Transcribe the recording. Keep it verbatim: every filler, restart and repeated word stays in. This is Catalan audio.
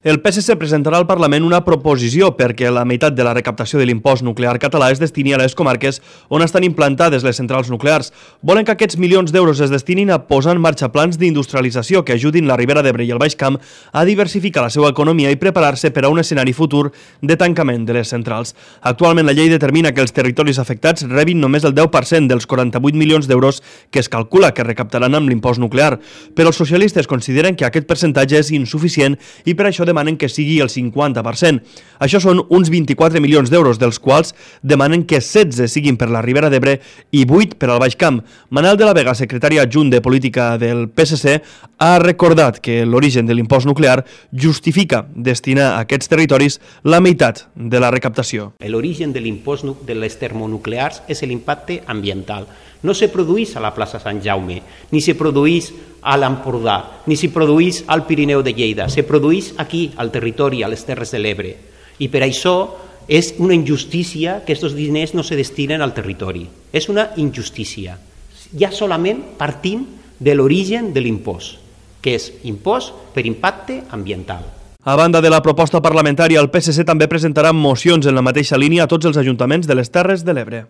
El P S C presentarà al Parlament una proposició perquè la meitat de la recaptació de l'impost nuclear català es destini a les comarques on estan implantades les centrals nuclears. Volen que aquests milions d'euros es destinin a posar en marxa plans d'industrialització que ajudin la Ribera d'Ebre i el Baix Camp a diversificar la seva economia i preparar-se per a un escenari futur de tancament de les centrals. Actualment la llei determina que els territoris afectats rebin només el deu per cent dels quaranta-vuit milions d'euros que es calcula que recaptaran amb l'impost nuclear, però els socialistes consideren que aquest percentatge és insuficient i per això demanen que sigui el cinquanta per cent. Això són uns vint-i-quatre milions d'euros, dels quals demanen que setze siguin per la Ribera d'Ebre i vuit per al Baix Camp. Manel de la Vega, secretari adjunt de Política del P S C, ha recordat que l'origen de l'impost nuclear justifica destinar a aquests territoris la meitat de la recaptació. L'origen de l'impost de les termonuclears és l'impacte ambiental. No se produeix a la plaça Sant Jaume, ni se produeix a l'Empordà, ni se produeix al Pirineu de Lleida, se produeix aquí, al territori, a les Terres de l'Ebre. I per això és una injustícia que aquests diners no se destinen al territori. És una injustícia. Ja solament partint de l'origen de l'impost, que és impost per impacte ambiental. A banda de la proposta parlamentària, el P S C també presentarà mocions en la mateixa línia a tots els ajuntaments de les Terres de l'Ebre.